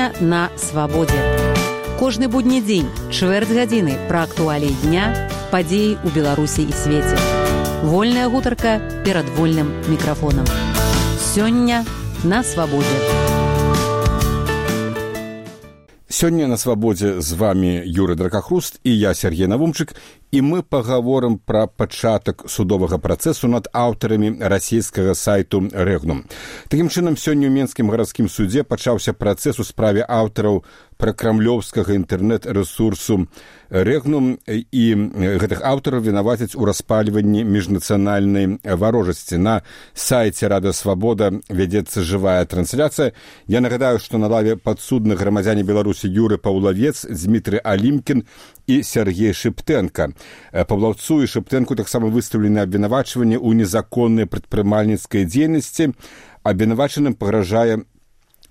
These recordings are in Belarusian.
Сёння на свабодзе. Кожны будні дзень, чвэрць гадзіны пра актуаліі дня, падзеі ў Беларусі і свеце. Вольная гутарка перад вольным мікрафонам. Сёння на свабодзе. Сёння на свабодзе з вами Юрый Дракахруст і я, Сергей Навумчык, і мы пагаворым пра пачатак судовага працэсу над аўтарамі расійскага сайту Рэгнум. Такім чынам, сёння ў Менскім гарадскім судзе пачаўся працэс у справе аўтараў пракрамлёўскага інтэрнэт-рэсурсу Рэгнум, і гэтых аўтараў вінавацяць у распальванні міжнацыянальнай варожасці. На сайце Рада Свабода вядзецца жывая трансляцыя. Я нагадаю, што на лаве падсудных грамадзяне Беларусі Юры Паўлавец, Дмітрый Алімкін і Сергей Шыптэнка. Паўлаўцу і Шыптэнку таксама выстаўлены абвінавачванні ў незаконнай прадпрымальніцкай дзейнасці. Абвінавачаным пагражае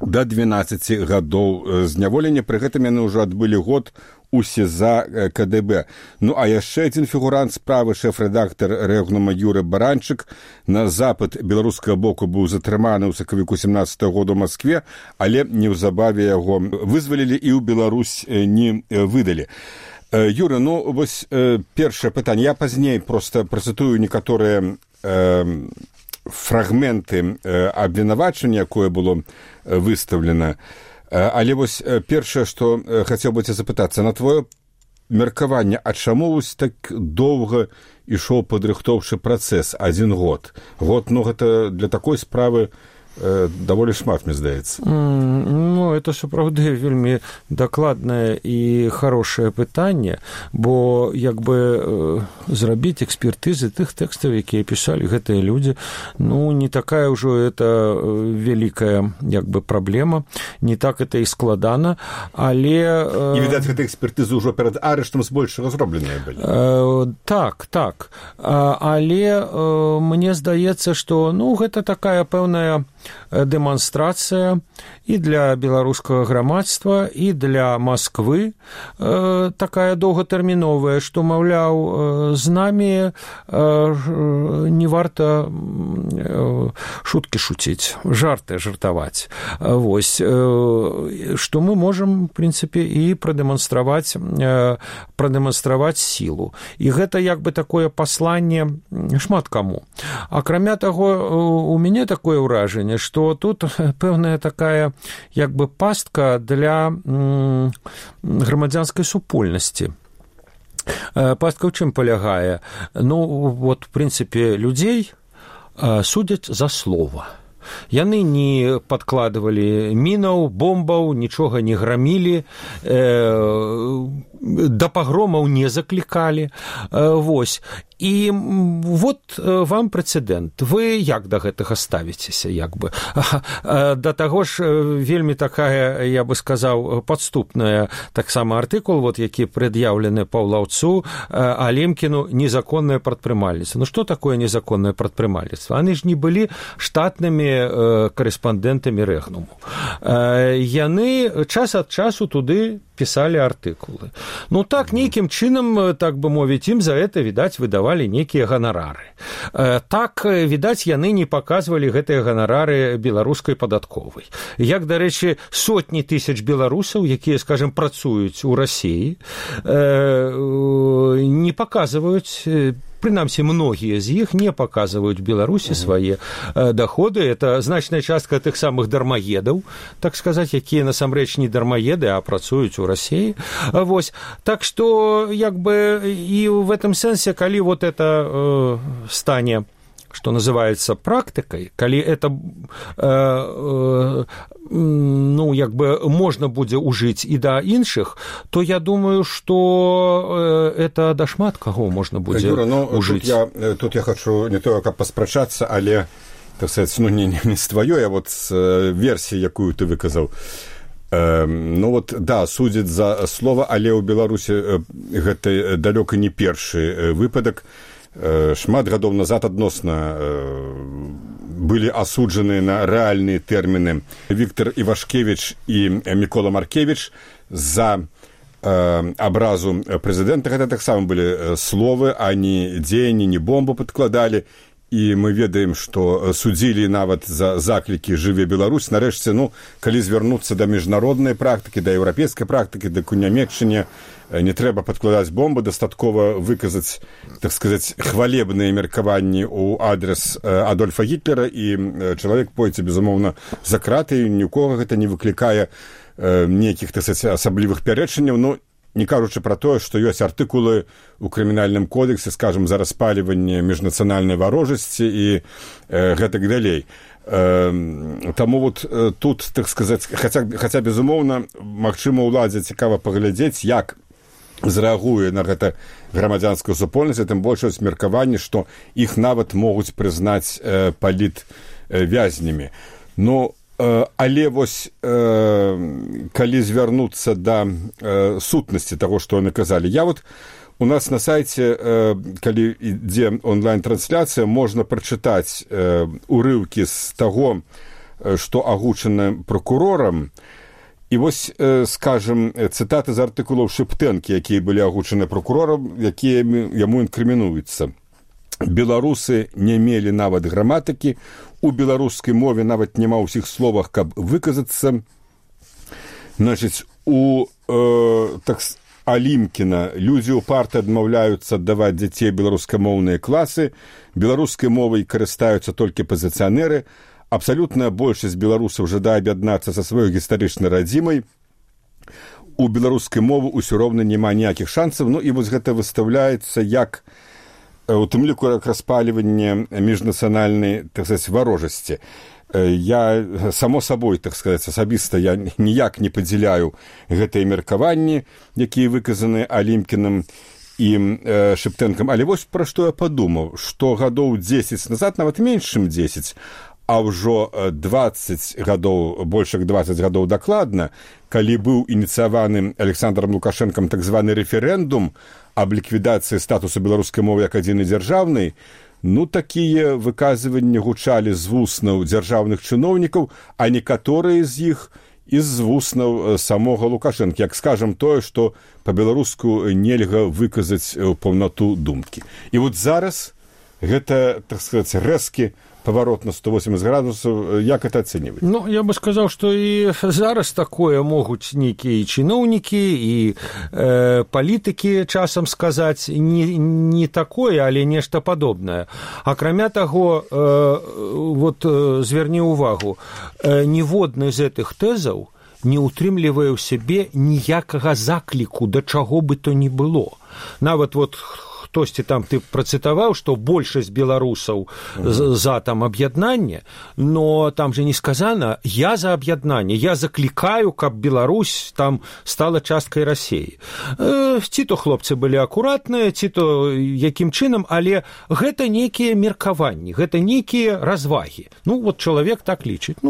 да 12 гадоў зняволення. Пры гэтым яны ўжо адбылі год у СІЗА КДБ. Ну, а яшчэ адзін фігурант справы, шэф-рэдактар Рэгнума Юры Баранчык, на запыт беларускага боку быў затрыманы ў сакавіку 17-го года ў Маскве, але неўзабаве яго вызвалілі і ў Беларусь не выдалі. Юра, ну, вось першае пытанне. Я пазней проста працытую некаторыя фрагменты абвінавачання, якое было выстаўлена. Але вось першае, што хацеў бы цябе запытацца, на твоё меркаванне, а чаму вось так доўга ішоў падрыхтоўчы працэс, 1 год? Год, ну, гэта для такой справы даволі шмат, мне здаецца. Ну, это сапраўды вельмі дакладнае і хорошае пытанне, бо як бы зрабіць экспертызы тых тэкстаў, якія пісалі гэтыя людзі, ну, не такая ўжо это вялікая як бы праблема, не так это і складана, але... І, відаць, гэтыя экспертызы ўжо перад арыштам збольшага зробленыя былі. Так. Але мне здаецца, што, ну, гэта такая пэўная дэманстрацыя і для беларускага грамадства, і для Масквы такая доўгатэрміновая, што, маўляў, з намі не варта шуткі шуціць, жарты жартаваць. Вось, што мы можам, в прынцыпе, і прадэманстраваць сілу. І гэта як бы такое пасланне шмат каму. Акрамя таго, у мяне такое ўражанне, што тут пэўная такая як бы пастка для грамадзянскай супольнасці. Пастка ў чым палягае? Ну, вот, в прынцыпе, людзей судзяць за слова. Яны не падкладывалі мінаў, бомбаў, нічога не грамілі, да пагромаў не заклікалі. Вось. І вот вам прэцэдэнт. Вы як да гэтага ставіцеся, як бы? Да таго ж вельмі такая, я бы сказаў, падступная таксама артыкул, вот, які прад'яўлены Паўлаўцу, Алімкіну, незаконнае прадпрымальніцтва. Ну, што такое незаконнае прадпрымальніцтва? Яны ж не былі штатнымі карэспандэнтамі Рэгнуму. Яны час ад часу туды пісалі артыкулы. Ну, так, нейкім чынам, так бы мовіць, ім за гэта, відаць, выдавалі нейкія ганарары. Так, відаць, яны не паказвалі гэтыя ганарары беларускай падатковай. Як, дарэчы, сотні тысяч беларусаў, якія, скажем, працуюць у Расіі, не паказваюць, прынамсі, многія з іх не паказваюць Беларусі свае даходы. Это значная частка тых самых дармаедаў, так сказаць, якія насамрэч не дармаеды, а працуюць у Расіі. Вось. Так што, як бы, і в этом сэнсе, калі вот это стане, что называется, практыкай, калі это ну, як бы можна будзе ўжыць і да іншых, то я думаю, што это да шмат каго можна будзе ўжыць. Тут я хочу не то, каб паспрачацца, але, так сказать, ну, не з тваёй, а вот з версіі, якую ты выказаў. Ну, вот, да, судзяць за слова, але ў Беларусі гэта далёка не першы выпадак. Шмат гадоў назад адносна былі асуджаны на рэальныя тэрміны Віктор Івашкевіч і Мікола Маркевіч за абразу прэзідэнта. Гэта таксама былі словы, а не дзеянні, не бомбу падкладалі. і мы ведаем, што судзілі нават за заклікі «Жыве Беларусь». Нарэшце, калі звярнуцца да міжнароднай практыкі, да еўрапейскай практыкі, да у Нямецчыне, не трэба падкладаць бомбы, дастаткова выказаць, так сказаць, хвалебныя меркаванні ў адрес Адольфа Гітлера, і чалавек пойдзе, безумоўна, за краты, ні ў кого гэта не выклікае нейкіх, так сказаць, асаблівых пярэчанняў, не кажучы пра тое, што ёсць артыкулы ў крымінальным кодексе, скажем, за распальванне міжнацыянальнай варожасці і гэтак далей. Таму вот тут, так сказаць, хаця безумоўна, магчыма, уладзе цікава паглядзець, як зрэагуе на гэта грамадзянская супольнасць, тым больш ёсць меркаванне, што іх нават могуць прызнаць палітвязнямі. Але вось, калі звярнуцца да сутнасці таго, што яны казалі, у нас на сайце, калі ідзе онлайн-трансляцыя, можна прачытаць урыўкі з таго, што агучана пракурорам, і вось, скажем, цытаты з артыкулаў Шэптэнкі, якія былі агучаны пракурорам, якія яму інкрымінуюцца. Беларусы не мелі нават граматыкі, у беларускай мове нават няма ўсіх словах, каб выказацца. Значыць, у Алімкіна людзі ўпарта адмаўляюцца аддаваць дзяцей беларускамоўныя класы, беларускай мовай карыстаюцца толькі пазіцыянеры, абсалютная большасць беларусаў жадае аб'яднацца са сваёй гістарычнай радзімай, у беларускай мовы ўсё роўна няма ніякіх шансаў, і вось гэта выстаўляецца як у тым ліку распальванне міжнацыянальнай, так сказаць, варожасці. Я, само сабой, так сказаць, асабіста я ніяк не падзяляю гэтыя меркаванні, якія выказаны Алімкінам і Шэптэнкам. Але вось пра што я падумаў, што гадоў 10 назад, нават менш, чым 10, а ўжо 20 гадоў, больш як 20 гадоў дакладна, калі быў ініцыяваны Александром Лукашэнкам так званы рэферэндум аб ліквідацыі статусу беларускай мовы як адзінай дзяржаўнай, такія выказванні гучалі з вуснаў дзяржаўных чыноўнікаў, а некаторыя з іх і з вуснаў самога Лукашэнкі, як скажам тое, што па-беларуску нельга выказаць паўнату думкі. І вот зараз гэта, так сказаць, рэзкі паварот на 180 градусаў, як это ацэньваць? Я бы сказаў, што і зараз такое могуць нейкія чыноўнікі і палітыкі часам сказаць не такое, але нешта падобнае. Акрамя таго, зверні ўвагу, ніводны з гэтых тэзаў не ўтрымлівае ў сябе ніякага закліку да чаго бы то ні было. Нават хтосьці там ты працытаваў, што большасць беларусаў за там аб'яднанне, но там же не сказана «я за аб'яднанне», «я заклікаю, каб Беларусь там стала часткай Расіі». Ці то хлопцы былі акуратныя, ці то якім чынам, але гэта нейкія меркаванні, гэта нейкія развагі. Чалавек так лічыць.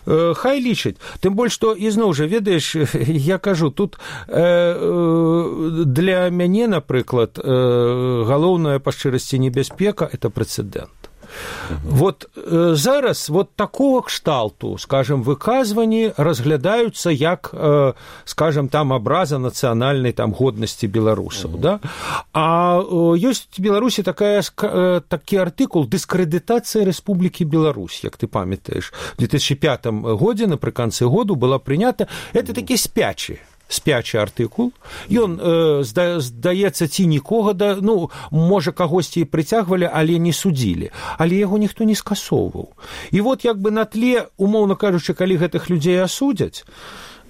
Хай лічыць. Тым больш, што, ізноў жа, ведаеш, я кажу, тут для мяне, напрыклад, галоўная па шчырасці небяспека – это прэцэдэнт. Зараз такого кшталту, скажем, выказванні разглядаюцца як, скажем, там абраза нацыянальнай там годнасці беларусаў, да? А ёсць в Беларусі такі артыкул «Дыскрэдытацыя Рэспублікі Беларусь», як ты памятаеш. В 2005 годзе, напрыканцы году, была прынята, это такі спячы артыкул. Ён, здаецца, ці нікога, можа, кагосьці і прыцягвалі, але не судзілі. Але яго ніхто не скасоўваў. І на тле, умоўна кажучы, калі гэтых людзей асудзяць,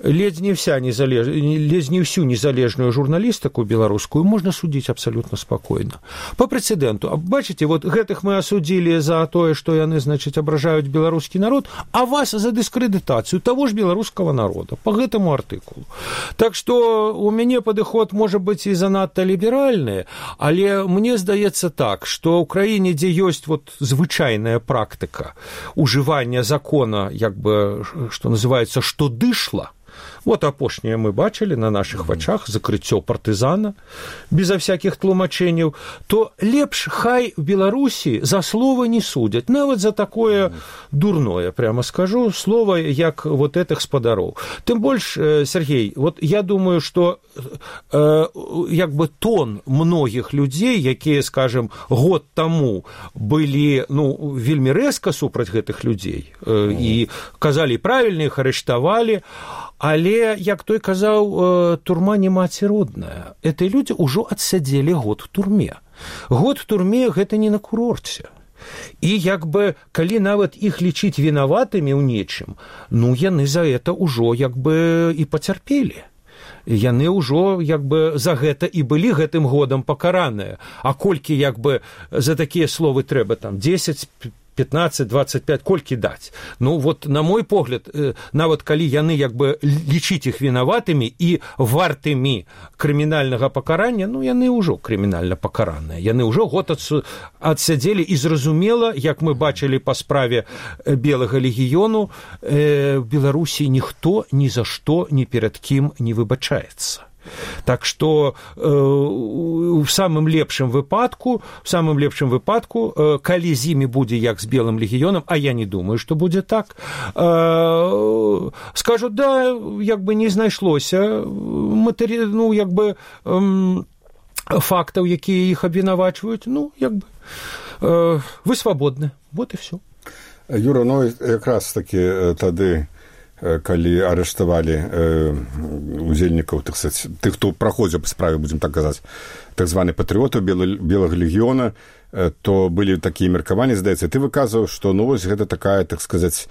ледзь не всю незалежную журналістыку беларускую можна судзіць абсалютна спакойна. Па прэцэдэнту. Бачыце, гэтых мы асудзілі за тое, што яны, абражаюць беларускі народ, а вас за дыскрэдытацыю таго ж беларускага народа па гэтаму артыкулу. Так што у мяне падыход можа быць і занадта ліберальны, але мне здаецца так, што ў краіне, дзе ёсць звычайная практыка ужывання закона, што называецца, што дышла, Вот апошняе мы бачылі на наших вачах закрыццё партызана безо всяких тлумачэнняў, то лепш хай в Беларусі за слова не судзяць, нават за такое дурное, прямо скажу, слово, як вот этих спадароў. Тым больш, Сергей, вот я думаю, что як бы тон многіх людзей, якія, скажем, год таму былі, ну, вельмі рэзка супраць гэтых людзей і казалі правільна, іх арыштавалі, але, як той казаў, турма не маці родная. Эти людзі ўжо адсядзелі год в турме. Год в турме – гэта не на курорце. І як бы, калі нават іх лічыць вінаватымі ў нечым, ну, яны за это ўжо як бы і пацярпелі. Яны ўжо як бы за гэта і былі гэтым годам пакараныя. А колькі як бы за такія словы трэба там 10, 15, 25, колькі даць? Ну, вот, на мой погляд, нават калі яны як бы лічыць іх вінаватымі і вартымі крымінальнага пакарання, ну, яны ўжо крымінальна пакараныя. Яны ўжо год адсядзелі, і зразумела, як мы бачылі па справе Белага легіёну, в Беларусі ніхто ні за што ні перад кім не выбачаецца. Так что в самым лепшым выпадку, калі з імі будзе як з Белым легіёнам, а я не думаю, што будзе так, скажут, да, як бы не знайшлося ну, як бы фактаў, якія іх абвінавачваюць, ну, як бы вы свабодны, вот і все. Юра, ну, якраз таки тады, калі арыштавалі удзельнікаў, тых, хто праходзіў па справе, будзем так казаць, так званых патрыётаў Белага легіёна, то былі такія меркаванні, здаецца. Ты выказваў, што, ну, вось гэта такая, так сказаць,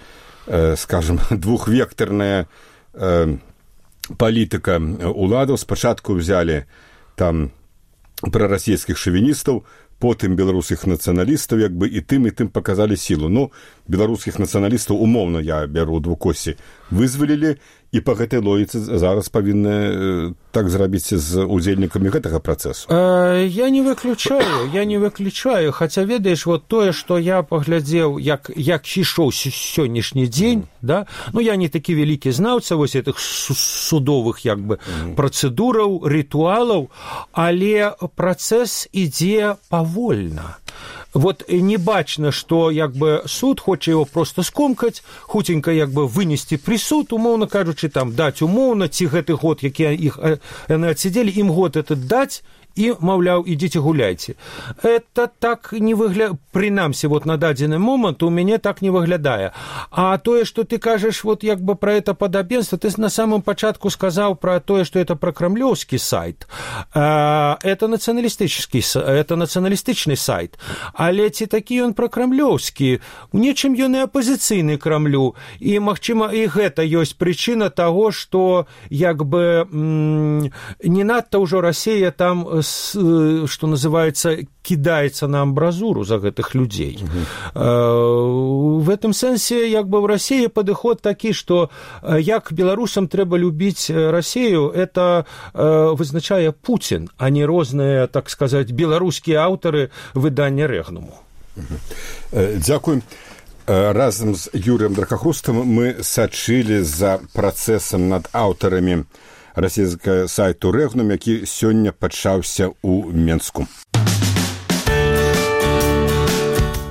скажем, двухвектарная палітыка уладаў. Спачатку взялі там прарасійскіх шавіністаў, потым беларускіх нацыяналістаў, як бы і тым паказалі сілу. Ну, беларускіх нацыяналістаў, умоўна, я бяру двукосі, вызвалілі, і па гэтай логіцы зараз павінны так зрабіць з удзельнікамі гэтага працэсу. Я не выключаю, хаця, ведаеш, вот тое, што я паглядзеў, як ішоў сённяшні дзень, да? Ну, я не такі вялікі знаўца вось этих судовых, як бы, працэдураў, рытуалаў, але працэс ідзе павольна. Вот не бачна, што як бы суд хоча его просто скомкаць, хуценька як бы вынесці прысуд, умоўна кажучы, там даць умоўна, ці гэты год, які іх яны адсядзелі, ім год этот даць, і, маўляў, ідзіце гуляйце. Это так не выглядае, прынамсі, вот на дадзены момант у мяне так не выглядае. А тое, што ты кажаш, вот як бы про это падабенство, ты на самом пачатку сказаў про тое, што это про крамлёўскі сайт. Это нацыяналістычны сайт. Але ці такі ён пракрамлёўскі? У нечым ён і апазіцыйны Крамлю. І, магчыма, і гэта ёсць прычына таго, што як бы не надта ўжо Расія там, что называется, кидается на амбразуру за гэтых людзей. В этом сэнсе, як бы, в России падыход такі, што як беларусам трэба любіць Россию, это вызначае Путин, а не розныя, так сказать, беларускія аўтары выдання Рэгнуму. Дзякуй. Разам з Юрыем Дракахрустам мы сачылі за працэсам над аўтарамі расійскага сайту Рэгнум, які сёння пачаўся ў Менску.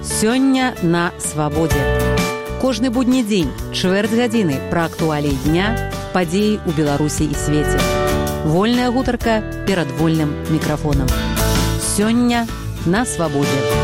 Сёння на свабодзе. Кожны будні дзень, чвэрць гадзіны пра актуаліі дня, падзеі ў Беларусі і свеце. Вольная гутарка перад вольным мікрафонам. Сёння на свабодзе.